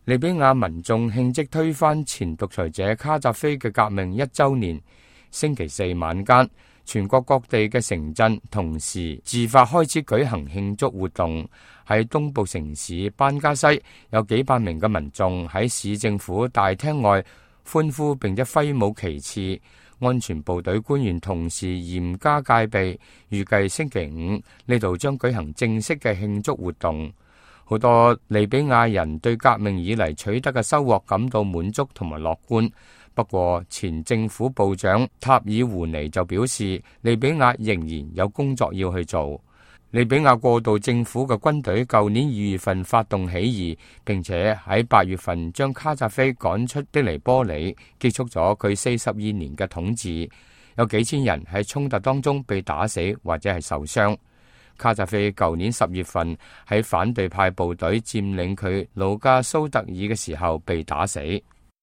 利比亞民眾慶祝推翻前獨裁者卡扎菲嘅革命1週年。星期四晚間，全國各地嘅城鎮同時自發開始舉行慶祝活動。喺東部城市班加西，有幾百名嘅民眾喺市政府大廳外歡呼並且揮舞旗幟。安全部隊官員同時嚴加戒備，預計星期五呢度將舉行正式嘅慶祝活動。好多利比亞人對革命以嚟取得嘅收穫感到滿足同埋樂觀。不過，前政府部長塔爾胡尼就表示，利比亞仍然有工作要去做。利比亞過渡政府嘅軍隊舊年2月份發動起義，並且喺8月份將卡扎菲趕出的黎波里，結束咗佢42年嘅統治。有幾千人喺衝突當中被打死或者係受傷。卡扎菲舊年10月份喺反對派部隊佔領佢老家蘇特爾嘅時候被打死。